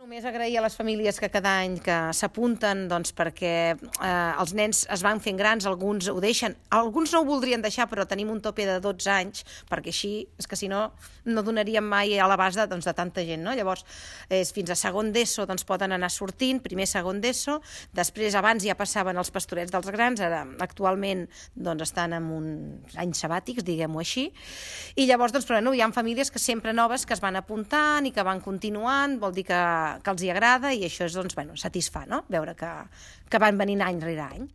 Només agrair a les famílies que cada any que s'apunten, doncs, perquè els nens es van fent grans, alguns ho deixen, alguns no ho voldrien deixar, però tenim un tope de 12 anys, perquè així, és que si no, no donaríem mai a l'abast de tanta gent, no? Llavors, fins a segon d'ESO doncs, poden anar sortint, primer, segon d'ESO, després, abans ja passaven els pastorets dels grans, ara actualment doncs, estan en uns anys sabàtics, diguem-ho així, i llavors, doncs, però no, hi ha famílies que sempre noves que es van apuntant i que van continuant, vol dir que els hi agrada i això és, doncs, bueno, satisfà, no? Veure que van venint any rere any.